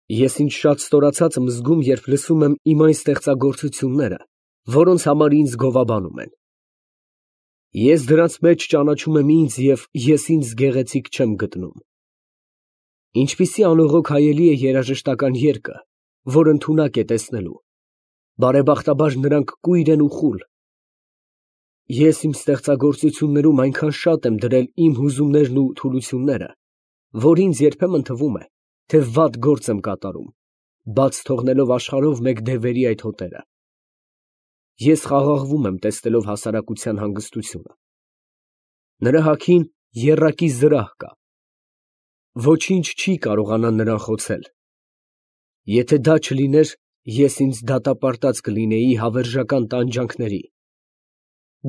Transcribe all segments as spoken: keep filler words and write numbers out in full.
Ես ինձ շատ ստորացած եմ զգում, երբ լսում եմ իմ այն ստեղծագործությունները, որոնց համար ինձ գովաբանում են։ Ես դրանց մեջ ճանաչում եմ ինձ և ես ինձ գեղեցիկ չեմ գտնում։ Ինչպիսի անողոք հայելի է երաժշտական երգը, որ ընդունակ է տեսնելու, բարեբախտաբար նրանք կույր են ու խուլ։ Ես իմ ստեղծագործություններում այնքան շատ եմ դրել իմ հուզումներն ու թուլությունները, որ ինձ երբեմն թվում է, թե վատ գործ եմ կատարում, բաց թողնելով աշխարհով մեկ դևերի այդ հոտերը։ Ես խաղաղվում եմ, տեսնելով հասարակության հանգստությունը։ Նրա հագին եռակի զրահ կա։ Ոչինչ չի կարողանա նրան խոցել։ Եթե դա չլիներ, ես ինձ դատապարտած կլինեի հավերժական տանջանքների։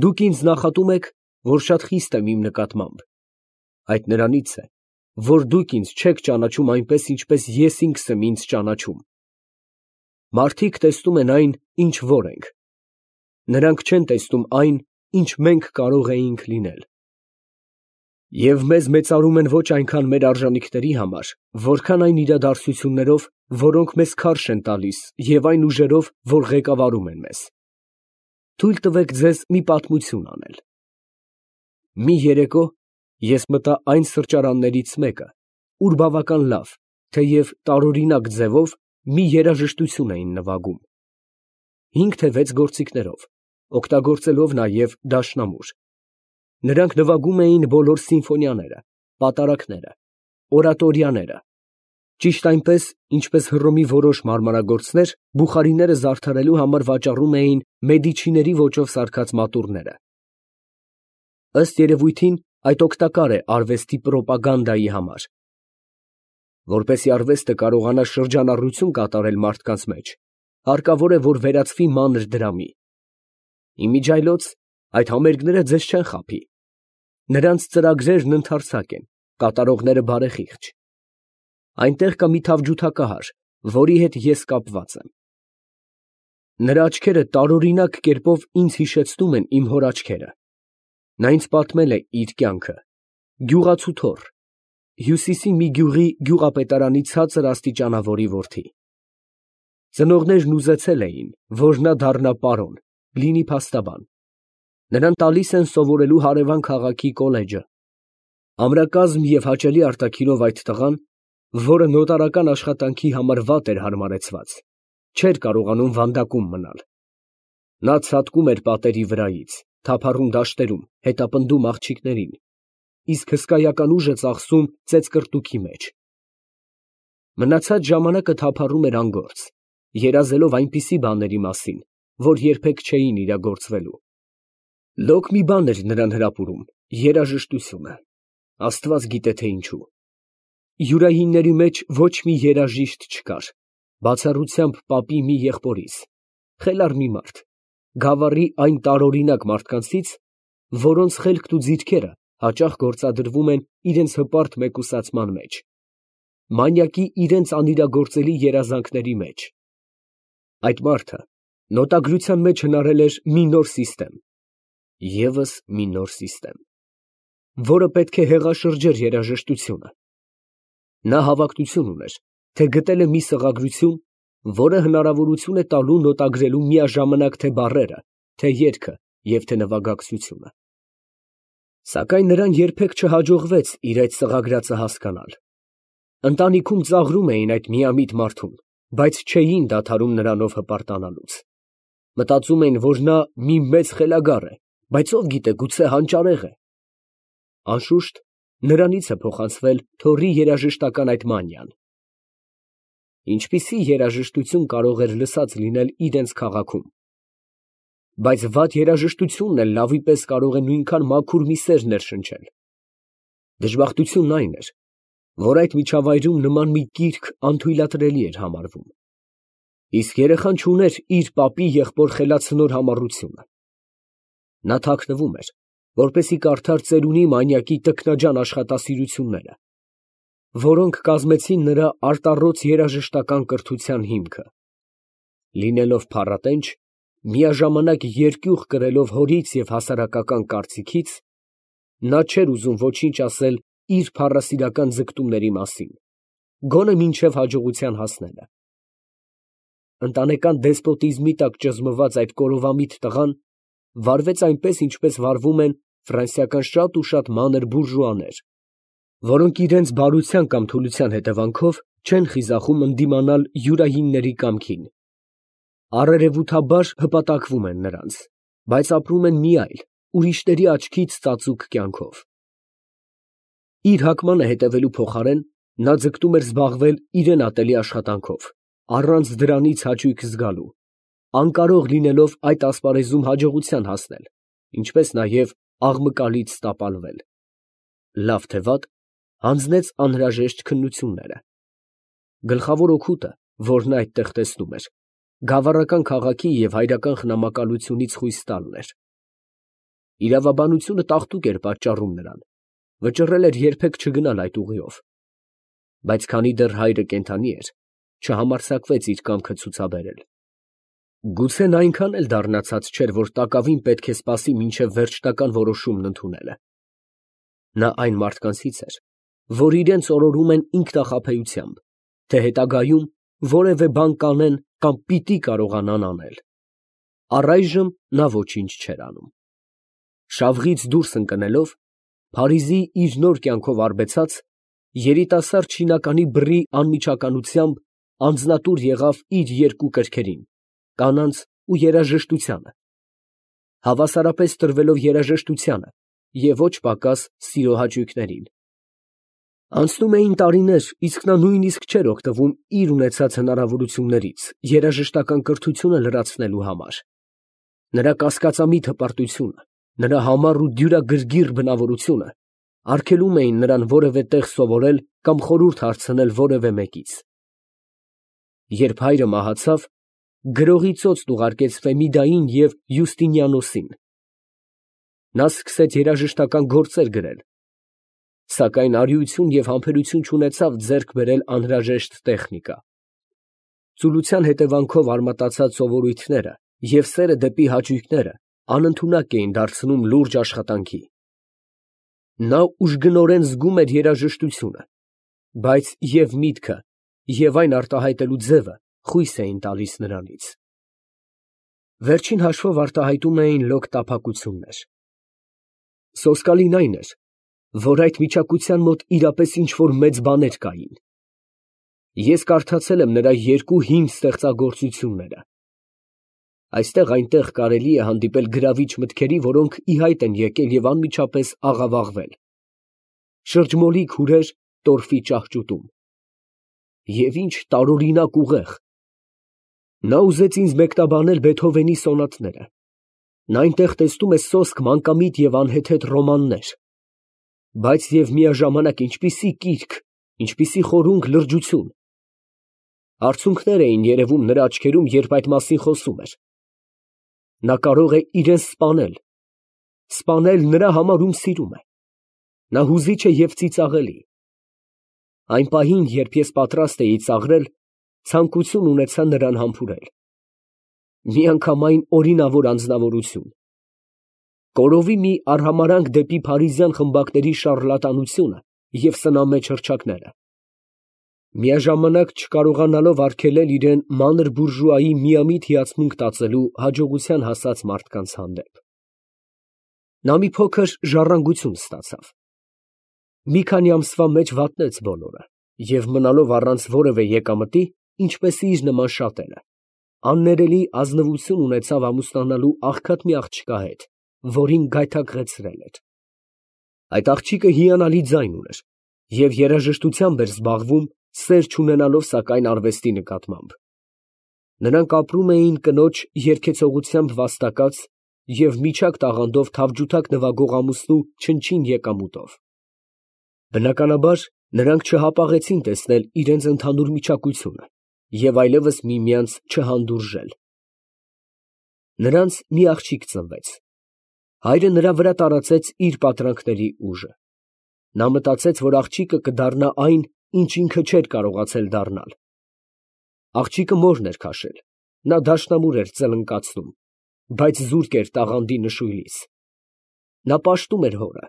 Դուք ինձ նախատում եք, որ շատ խիստ եմ իմ նկատմամբ։ Այդ նրանից է, որ դուք ինձ չեք ճանաչում այնպես, ինչպես ես ինքս եմ ինձ ճանաչում։ Մարդիկ տեսնում են այն, ինչ որ ենք։ Նրանք չեն տեսնում այն, ինչ մենք կարող էինք լինել։ Եվ մեզ մեծարում են ոչ այնքան մեր արժանիքների համար, որքան այն իրադարձություններով, որոնք մեզ քարշ են տալիս, և այն ուժերով, որ ղեկավարում են մեզ։ Թույլ տվեք ձեզ մի պատմություն անել։ Մի երեկո ես մտա այն սրճարաններից մեկը, ուր բավական լավ, թեև տարօրինակ ձևով մի երաժշտություն էին նվագում։ Հինգ թե վեց գործիքներով, օգտագործելով նաև դաշնամուր։ Նրանք նվագում էին բոլոր սիմֆոնիաները, պատարագները, օրատորիաները, ճիշտ այնպես, ինչպես Հռոմի որոշ մարմնագործներ բուխարիները զարդարելու համար վաճառում էին Մեդիչիների ոճով սարքած մատուռները։ Ըստ երևույթին, այդ օգտակար է արվեստի պրոպագանդայի համար։ Որպեսզի արվեստը կարողանա շրջանառություն կատարել մարդկանց մեջ, հարկավոր է, որ վերածվի մանր դրամի։ Իմիջիայլոց այդ համերգները ձեզ չեն խաբի։ Նրանց ծրագրերն ընդարձակ են, կատարողները բարեխիղճ։ Այնտեղ կա մի թավջութակահար, որի հետ ես կապված եմ։ Նրա աչքերը տարօրինակ կերպով ինձ հիշեցնում են իմ հոր աչքերը։ Նա ինձ պատմել է իր կյանքը։ Գյուղացու թոռ, Հյուսիսի մի գյուղի գյուղապետարանի ցածր աստիճանավորի որդի։ Ծնողներն ուզեցել էին, որ նա դառնա պարոն, լինի փաստաբան։ Նրան տալիս են սովորելու հարևան քաղաքի կոլեջը։ Ամրակազմ և հաճելի արտաքինով այդ տղան, որը նոտարական աշխատանքի համար վատ էր հարմարեցված, չէր կարողանում վանդակում մնալ։ Նա ցատկում էր պատերի վրայից, թափառում դաշտերում, հետապնդում աղջիկներին, իսկ հսկայական ուժը ծախսում ծեծկռտուքի մեջ։ Մնացած ժամանակը թափառում էր անգործ, երազելով այնպիսի բաների մասին, որ երբեք չէին իրագործվելու։ Լոկ մի բան էր նրան հրապուրում, երաժշտությունը, Աստված գիտե թե ինչու։ Յուրայինների մեջ ոչ մի երաժիշտ չկար, բացառությամբ պապի մի եղբորից, խելառ մի մարդ, գավառի այն տարօրինակ մարդկանցից, որոնց խելքն ու ձիթքերը հաճախ գործադրվում են իրենց հպարտ մեկուսացման մեջ, մանյակի իրենց անիրագործելի երազանքների մեջ։ Այդ մարդը նոտագրության մեջ հնարել էր մի նոր սիստեմ, ևս մի նոր սիստեմ, որը պետք է հեղաշրջեր երաժշտությունը։ Նա հավակնություն ուներ, թե գտել է մի սղագրություն, որը հնարավորություն է տալու նոտագրելու միաժամանակ թե բառերը, թե երգը և թե նվագակցությունը։ Սակայն նրան երբեք չհաջողվեց իր այդ սղագրածը հասկանալ։ Ընտանիքում ծաղրում էին այդ միամիտ մարդուն, բայց չէին դադարում նրանով հպարտանալուց։ Մտածում էին, որ նա մի մեծ խելագար է, բայց ով գիտե, գուցե հանճարեղ է։ Անշուշտ, նրանից է փոխանցվել թոռի երաժշտական այդ մանիան։ Ինչպիսի երաժշտություն կարող էր լսած լինել իրենց քաղաքում։ Բայց վատ երաժշտությունն էլ լավի պես կարող է նույնքան մաքուր մի սեր ներշնչել։ Դժբախտությունն այն էր, որ այդ միջավայրում նման մի կիրք անթույլատրելի էր համարվում։ Իսկ երեխան չուներ իր պապի եղբոր խելացնոր համառությունը։ Նա թաքնվում էր, որպեսզի կարդար ծերունի մանյակի տքնաջան աշխատասիրությունները, որոնք կազմեցին նրա արտառոց երաժշտական կրթության հիմքը։ Լինելով փառատենչ, միաժամանակ երկյուղ կրելով հորից և հասարակական կարծիքից, նա չէր ուզում ոչինչ ասել իր փառասիրական ձգտումների մասին։ գոնե մինչև հաջողության հասնելը։ Ընտանեկան դեսպոտիզմի տակ ճզմված այդ կորովամիտ տղան վարվեց այնպես, ինչպես վարվում են ֆրանսիական շատ ու շատ մանր բուրժուաներ, որոնք իրենց բարության կամ թուլության հետևանքով չեն խիզախում ընդդիմանալ յուրայինների կամքին, առերևութաբար հպատակվում են նրանց, բայց ապրում են մի այլ, ուրիշների աչքից ծածուկ կյանքով։ Իր հակմանը հետևելու փոխարեն նա ձգտում էր զբաղվել իրեն ատելի աշխատանքով, առանց դրանից հաճույք զգալու, անկարող լինելով այդ ասպարեզում հաջողության հասնել, ինչպես նաև աղմկալից տապալվել։ Լավ թե վատ, հանձնեց անհրաժեշտ քննությունները։ Գլխավոր օգուտը, որն այդտեղ տեսնում էր, գավառական քաղաքի և հայրական խնամակալությունից խույս տալն էր։ Իրավաբանությունը տաղտուկ էր պատճառում նրան, վճռել էր երբեք չգնալ այդ ուղիով, բայց քանի դեռ հայրը կենդանի էր, չհամարձակվեց իր կամքը ցուցաբերել։ Գուցե նա այնքան էլ դառնացած չէր, որ տակավին պետք է սպասի մինչև վերջնական որոշումն ընդունելը։ Նա այն մարդկանցից էր, որ իրենց օրորում են ինքնախաբեությամբ, թե հետագայում որևէ բան կանեն կամ պիտի կարողանան անել։ Առայժմ նա ոչինչ չէր անում։ Շավղից դուրս ընկնելով, Փարիզի իր նոր կյանքով արբեցած, երիտասարդ չինականի բռի անմիջականությամբ անձնատուր եղավ իր երկու կրքերին՝ կանանց ու երաժշտությանը, հավասարապես տրվելով երաժշտությանը և ոչ պակաս սիրո հաճույքներին։ Անցնում էին տարիներ, իսկ նա նույնիսկ չէր օգտվում իր ունեցած հնարավորություններից երաժշտական կրթությունը լրացնելու համար։ Նրա կասկածամիտ հպարտությունը, նրա համառ ու դյուրագրգիռ բնավորությունը արգելում էին նրան որևէ տեղ սովորել կամ խորհուրդ հարցնել որևէ մեկից։ Երբ հայրը մահացավ, գրողի ծոցն ուղարկեց Ֆեմիդային և Յուստինիանոսին։ Նա սկսեց երաժշտական գործեր գրել, սակայն արիություն և համբերություն չունեցավ ձեռք բերել անհրաժեշտ տեխնիկա։ Ծուլության հետևանքով արմատացած սովորույթները և սերը դեպի հաճույքները անընդունակ էին դարձնում լուրջ աշխատանքի։ Նա ուժգնորեն զգում էր երաժշտությունը, բայց և միտքը, և այն արտահայտելու ձևը խույս էին տալիս նրանից։ Վերջին հաշվով արտահայտում էին լոկ տափակություններ։ Սոսկալին այն էր, որ այդ միչակության մոտ իրապես ինչ֊որ մեծ բաներ կային։ Ես կարդացել եմ նրա երկու հին ստեղծագործությունները։ Այստեղ֊այնտեղ կարելի է հանդիպել գրավիչ մտքերի, որոնք ի հայտ են եկել և անմիջապես աղավաղվել, շրջմոլիկ հուրեր տորֆի ճահճուտում։ Եվ ինչ տարօրինակ ուղեղ։ Նա ուզեց ինձ մեկնաբանել Բեթհովենի սոնատները։ Նա այնտեղ տեսնում է սոսկ մանկամիտ և անհեթեթ ռոմաններ, բայց և միաժամանակ ինչպիսի կիրք, ինչպիսի խորունկ լրջություն։ Արցունքներ էին երևում նրա աչքերում, երբ այդ մասին խոսում էր։ Նա կարող է իրան սպանել, սպանել նրա համար, ում սիրում է։ Նա հուզիչ է և ծիծաղելի։ Այն պահին, երբ ես պատրաստ էի ծաղրել, ցանկություն ունեցա նրան համբուրել։ Միանգամայն օրինավոր անձնավորություն։ Կորովի մի արհամարհանք դեպի փարիզյան խմբակների շառլատանությունը և սնամեջ հռչակները, միաժամանակ չկարողանալով արգելել իրան մանր բուրժուայի միամիտ հիացմունք տածելու հաջողության հասած մարդկանց հանդեպ։ Նա մի փոքր ժառանգություն ստացավ։ Մի քանի ամսվա մեջ վատնեց բոլորը և մնալով առանց որևէ եկամտի, ինչպես իր նման շատերը, աններելի ազնվություն ունեցավ ամուսնանալու աղքատ մի աղջկա հետ, որին գայթակղեցրել էր։ Այդ աղջիկը հիանալի ձայն ուներ և երաժշտությամբ էր զբաղվում, սեր չունենալով սակայն արվեստի նկատմամբ։ Նրանք ապրում էին կնոջ երգեցողությամբ վաստակած և միջակ տաղանդով թավջութակ նվագող ամուսնու չնչին եկամուտով։ Բնականաբար, նրանք չհապաղեցին տեսնել իրենց ընդհանուր միչակությունը և այլևս միմյանց չհանդուրժել։ Նրանց մի աղջիկ ծնվեց։ Հայրը նրա վրա տարածեց իր պատրանքների ուժը։ Նա մտածեց, որ աղջիկը կդառնա այն, ինչ ինքը չէր կարողացել դառնալ։ Աղջիկը մորն էր քաշել, նա դաշնամուր էր ծլնկացնում, բայց զուրկ էր տաղանդի նշույլից։ Նա պաշտում էր հորը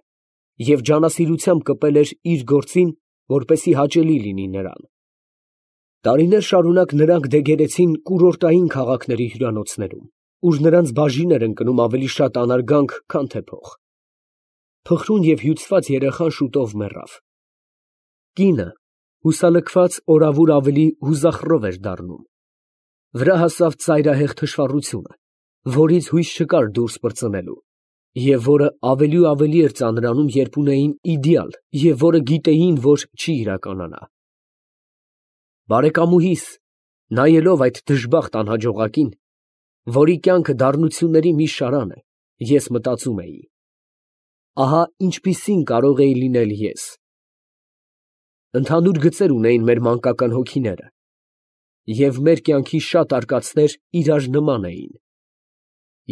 և ջանասիրությամբ կպել էր իր գործին, որպեսզի հաճելի լինի նրան։ Տարիներ շարունակ նրանք դեգերեցին կուրորտային քաղաքների հյուրանոցներում, ուր նրանց բաժին էր ընկնում ավելի շատ անարգանք, քան թե փող։ Փխրուն և հյուծված երեխան շուտով մեռավ։ Կինը, հուսալքված օրավուր ավելի հուզախռով էր դառնում։ Վրա հասավ ծայրահեղ թշվառությունը, որից հույս չկար դուրս պրծնելու, և որը ավելի ու ավելի էր ծանրանում, երբ ունեին իդեալ, և որը գիտեին, որ չի իրականանա։ Բարեկամուհիս, նայելով այդ դժբախտ անհաջողակին, որի կյանքը դառնությունների մի շարան է, ես մտածում էի. ահա ինչպիսին կարող էի լինել ես։ Ընդհանուր գծեր ունեին մեր մանկական հոգիները, և մեր կյանքի շատ արկածներ իրար նման էին։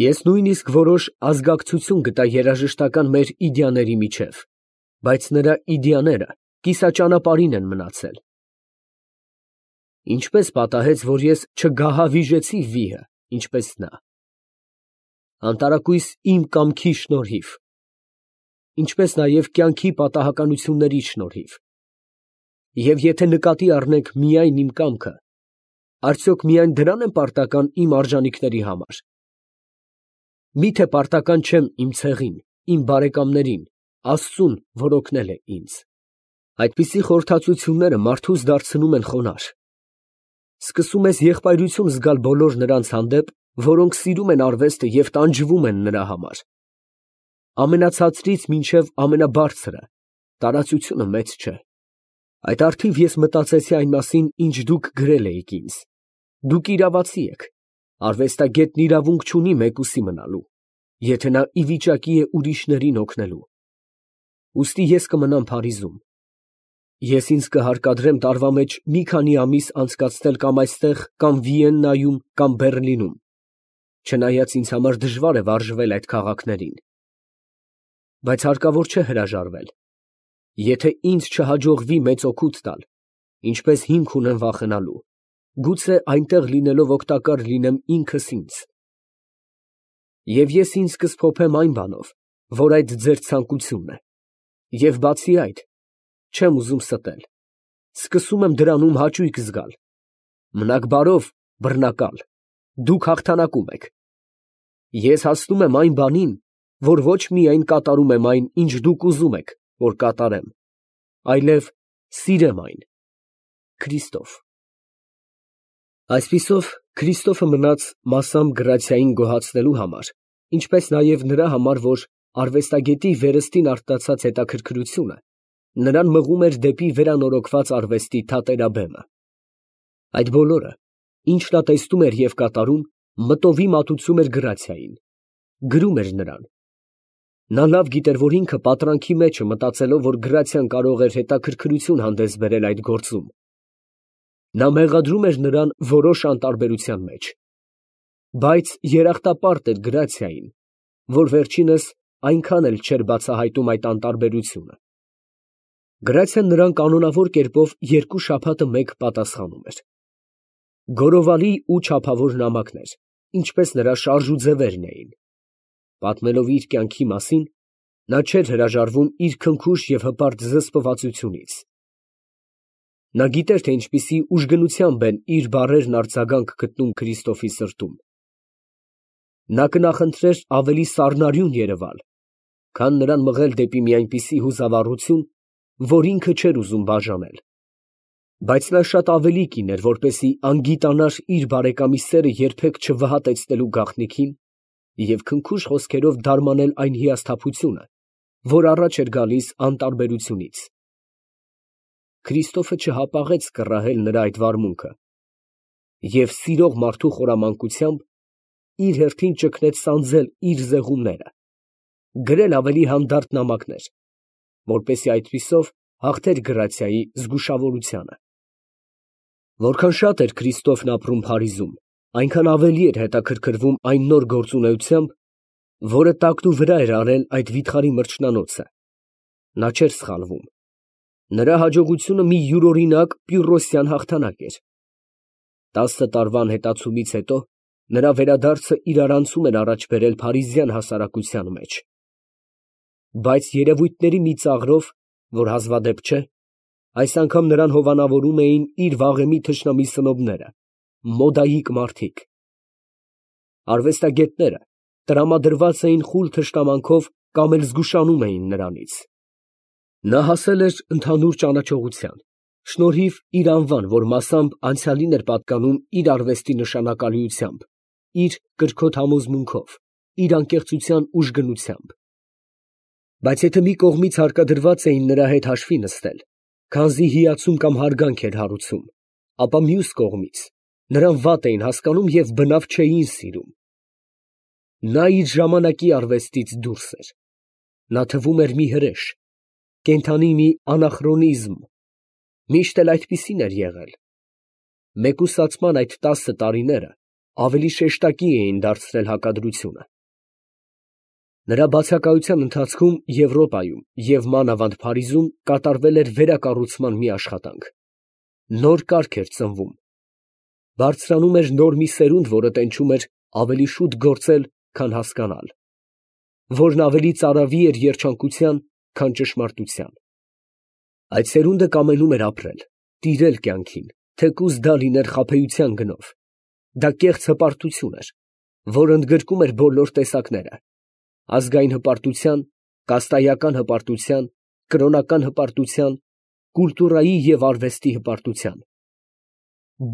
Ես նույնիսկ որոշ ազգակցություն գտա երաժշտական մեր իդեաների միջև, բայց նրա իդեաները կիսաճանապարհին են մնացել։ Ինչպես պատահեց, որ ես չգահավիժեցի վիհը, ինչպես նա։ Անտարակույս իմ կամքի շնորհիվ, ինչպես նաև կյանքի պատահականությունների շնորհիվ։ Եվ եթե նկատի առնենք միայն իմ կամքը, արդյոք միայն դրան եմ պարտական իմ արժանիքների համար։ Մի՞թե պարտական չեմ իմ ցեղին, իմ բարեկամներին, Աստծուն, որ օգնել է ինձ։ Այդպիսի խորհրդածությունները մարդուս դարձնում են խոնարհ։ Սկսում ես եղբայրություն զգալ բոլոր նրանց հանդեպ, որոնք սիրում են արվեստը և տանջվում են նրա համար։ Ամենացածրից մինչև ամենաբարձրը տարածությունը մեծ չէ։ Այդ առթիվ ես մտածեցի այն մասին, ինչ դուք գրել էիք ինձ. դուք իրավացի եք, արվեստագետն իրավունք չունի մեկուսի մնալու, եթե նա ի վիճակի է ուրիշներին օգնելու։ Ուստի ես կմնամ Փարիզում։ Ես ինձ կհարկադրեմ տարվա մեջ մի քանի ամիս անցկացնել կամ այստեղ, կամ Վիեննայում, կամ Բեռլինում, չնայած ինձ համար դժվար է վարժվել այդ քաղաքներին։ Բայց հարկավոր չէ հրաժարվել։ Եթե ինձ չհաջողվի մեծ օգուտ տալ, ինչպես հիմք ունեմ վախենալու, գուցե այնտեղ լինելով օգտակար լինեմ ինքս ինձ։ Եվ ես ինձ կսփոփեմ այն բանով, որ այդ ձեր ցանկությունն է, և բացի այդ, չեմ ուզում ստել, սկսում եմ դրանում հաճույք զգալ։ Մնաք բարով, բռնակալ, դուք հաղթանակում եք։ Ես հասնում եմ այն բանին, որ ոչ միայն կատարում եմ այն, ինչ դուք ուզում եք, որ կատարեմ, այլև սիրեմ այն։ Քրիստոֆ։ Այսպիսով, Քրիստոֆը մնաց մասամբ Գրացիային գոհացնելու համար, ինչպես նաև նրա համար, որ արվեստագետի վերստին արթնացած հետաքրքրությունը նրան մղում էր դեպի վերանորոգված արվեստի թատերաբեմը։ Այդ բոլորը, ինչ նա տեսնում էր և կատարում, մտովի մատուցում էր Գրացիային, գրում էր նրան։ Նա լավ գիտեր, որ ինքը պատրանքի մեջ է, մտածելով, որ Գրացիան կարող էր հետաքրքրություն հանդես բերել այդ գործում։ Նա մեղադրում էր նրան որոշ անտարբերության մեջ։ Բայց երախտապարտ էր Գրացիային, որ վերջինս այնքան էլ չէր բացահայտում այդ անտարբերությունը։ Գրացիան նրան կանոնավոր կերպով երկու շաբաթը մեկ պատասխանում էր։ Գորովալի ու չափավոր նամակներ, ինչպես նրա շարժուձևերն էին։ Պատմելով իր կյանքի մասին, նա չէր հրաժարվում իր քնքուշ և հպարտ զսպվածությունից։ Նա գիտեր, թե ինչպիսի ուժգնությամբ են իր բառերն արձագանք գտնում Քրիստոֆի սրտում։ Նա կնախընտրեր ավելի սառնարյուն երևալ, քան նրան մղել դեպի մի այնպիսի հուզավառություն, որ ինքը չէր ուզում բաժանել։ Բայց նա շատ ավելի կին էր, որպեսզի անգիտանար իր բարեկամի սերը երբեք չվհատեցնելու գաղտնիքին և քնքուշ խոսքերով դարմանել այն հիասթափությունը, որ առաջ էր գալիս անտարբերությունից։ Քրիստոֆը չհապաղեց կռահել նրա այդ վարմունքը և սիրող մարդու խորամանկությամբ իր հերթին ճգնեց սանձել իր զեղումները, գրել ավելի հանդարտ նամակներ, որպեսզի այդպիսով հաղթեր Գրացիայի զգուշավորությանը։ Որքան շատ էր Քրիստոֆն ապրում Փարիզում, այնքան ավելի էր հետաքրքրվում այն նոր գործունեությամբ, որը տակնուվրա էր արել այդ վիթխարի մրջնանոցը։ Նա չէր սխալվում։ Նրա հաջողությունը մի յուրօրինակ պյուրրոսյան հաղթանակ էր։ Տասը տարվա անհետացումից հետո նրա վերադարձը իրարանցում էր առաջ բերել փարիզյան հասարակության մեջ։ Բայց երևույթների մի ծաղրով, որ հազվադեպ չէ, Այս անգամ նրան հովանավորում էին իր վաղեմի թշնամի սնոբները, մոդայիկ մարդիկ։ Արվեստագետները տրամադրված էին խուլ թշնամանքով կամ էլ զգուշանում էին նրանից։ Նա հասել էր ընդհանուր ճանաչողության, շնորհիվ իր անվան, որ մասամբ անցյալին էր պատկանում իր արվեստի նշանակալիությամբ, իր կրքոտ համոզմունքով, իր անկեղծության ուժգնությամբ։ Բայց եթե մի կողմից հարկադրված էին նրա հետ հաշվի նստել, քանզի հիացում կամ հարգանք էր հարուցում, ապա մյուս կողմից նրան վատ էին հասկանում և բնավ չէին սիրում։ Նա իր ժամանակի արվեստից դուրս էր։ Նա թվում էր մի հրեշ, կենդանի մի անախրոնիզմ, միշտ էլ այդպիսին էր եղել։ Մեկուսացման այդ տասը տարիները ավելի շեշտակի էին դարձրել հակադրությունը։ Նրա բացակայության ընթացքում Եվրոպայում և մանավանդ Փարիզում կատարվել էր վերակառուցման մի աշխատանք։ Նոր կարգ էր ծնվում։ Բարձրանում էր նոր մի սերունդ, որը տենչում էր ավելի շուտ գործել, քան հասկանալ, որն ավելի ծարավի էր երջանկության, քան ճշմարտության։ Այդ սերունդը կամենում էր ապրել, տիրել կյանքին, թեկուզ դա լիներ խաբեության գնով։ Դա կեղծ հպարտություն էր, որ ընդգրկում էր բոլոր տեսակները. ազգային հպարտության, կաստայական հպարտության, կրոնական հպարտության, կուլտուրայի և արվեստի հպարտության։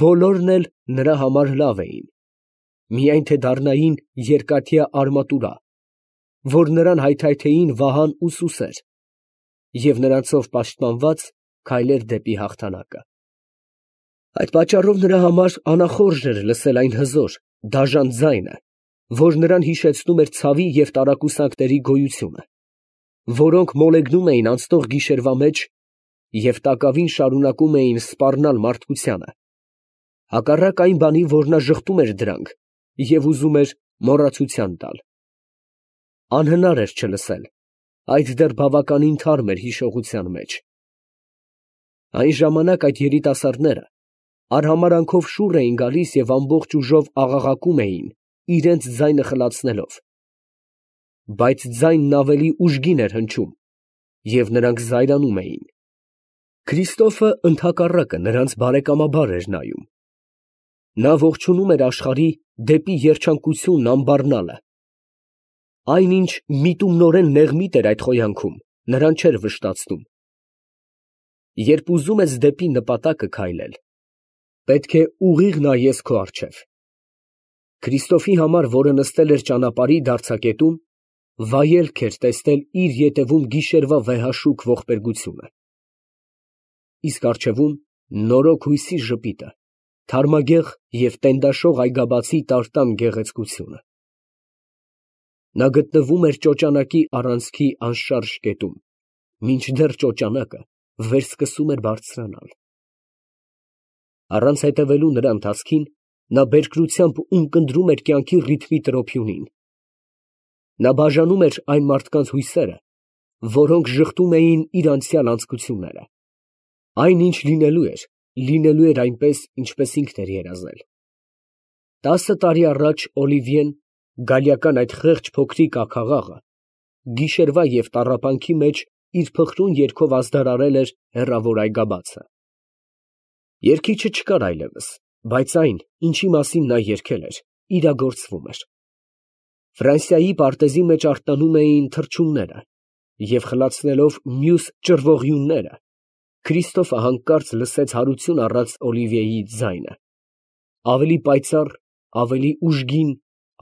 Բոլորն էլ նրա համար լավ էին, միայն թե դառնային երկաթյա արմատուրա, որ նրան հայթայթեին վահան ու սուսեր, և նրանցով պաշտպանված քայլեր դեպի հաղթանակը։ Այդ պատճառով նրա համար անախորժ էր լսել այն հզոր, դաժան ձայնը, որ նրան հիշեցնում էր ցավի և տարակուսանքների գոյությունը, որոնք մոլեգնում էին անցնող գիշերվա մեջ և տակավին շարունակում էին սպառնալ մարդկությանը, հակառակ այն բանի, որ նա ժխտում էր դրանք և ուզում էր մոռացության տալ։ Անհնար էր չլսել, այդ դեռ բավականին թարմ էր հիշողության մեջ։ Այն ժամանակ այդ երիտասարդները արհամարհանքով շուռ էին գալիս և ամբողջ ուժով աղաղակում էին, իրենց ձայնը խլացնելով։ Բայց ձայնն ավելի ուժգին էր հնչում, և նրանք զայրանում էին։ Քրիստոֆը ընդհակառակը նրանց բարեկամաբար էր նայում։ Նա ողջունում էր աշխարհի դեպի երջանկությունն ամբառնալը։ Այն, ինչ միտումնորեն նեղմիտ էր այդ խոյանքում, նրան չէր վշտացնում։ Երբ ուզում ես դեպի նպատակը քայլել, պետք է ուղիղ նայես քո առջև։ Քրիստոֆի համար, որը նստել էր ճանապարհի դարձակետում, վայելք էր տեսնել իր ետևում գիշերվա վեհաշուք ողբերգությունը։ Իսկ առջևում նորոգ հույսի ժպիտը, թարմագեղ և տենդաշող այգաբացի տարտան գեղեցկությունը։ Նա գտնվում էր ճոճանակի առանցքի անշարժ կետում, մինչդեռ ճոճանակը վերսկսում էր բարձրանալ։ Առանց հետևելու նրա ընթացքին, նա բերկրությամբ ունկնդրում էր կյանքի ռիթմի տրոփյունին։ Նա բաժանում էր այն մարդկանց հույսերը, որոնք ժխտում էին իր անցյալ անձկությունները։ Այն, ինչ լինելու էր, լինելու էր այնպես, ինչպես ինքն էր երազել։ Տասը տարի առաջ Օլիվիեն, գալիական այդ խեղճ փոքրիկ աքաղաղը, գիշերվա և տառապանքի մեջ իր փխրուն երգով ազդարարել էր հեռավոր այգաբացը։ Երգիչը չկար այլևս, բայց այն, ինչի մասին նա երգել էր, իրագործվում էր։ Ֆրանսիայի պարտեզի մեջ արթնանում էին թռչունները, և խլացնելով մյուս ճռվողյունները, Քրիստոֆը հանկարծ լսեց հարություն առած Օլիվիեի ձայնը, ավելի պայծառ, ավելի ուժգին,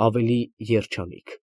ավելի երջանիկ։